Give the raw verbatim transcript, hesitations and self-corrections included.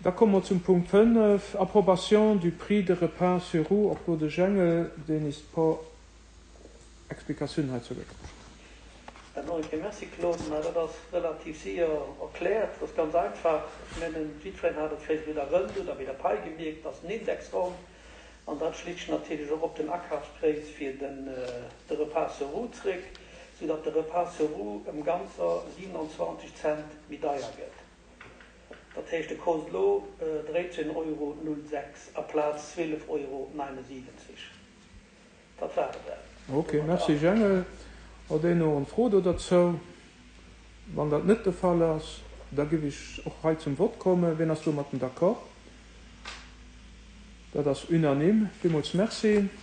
Da komme mer zum Punkt fënnef, Approbation du prix de repas sur roues. Och do de Jengel, deen is puer Explikatiounen heizou gëtt. Nach eng Kéier merci, Claude. Mä dat ass relativ séier erkläert. Dat ass ganz einfach. Ech mengen, jiddwereen hat et vläicht bei der Rënd oder bei der Pai gemierkt, dat ass en Indexraum. An dat schléit sech natierlech och op den Akafspräis fir den de Repas sur roues zréck, soudatt de Repas sur roues ëm ganzer siewenundzwanzeg Cent méi deier gëtt. Dat heescht, e kost elo dräizéng Euro null sechs aplaz zwielef Euro neunundsiwwenzeg. Dat war et dann. Ok, merci Jengel. Huet een och eng Fro do derzou? Wann dat net de Fall ass, da giff ech och hei zum Vott kommen. Wien ass domatten d'accord? Dat ass unanime. Villmools merci.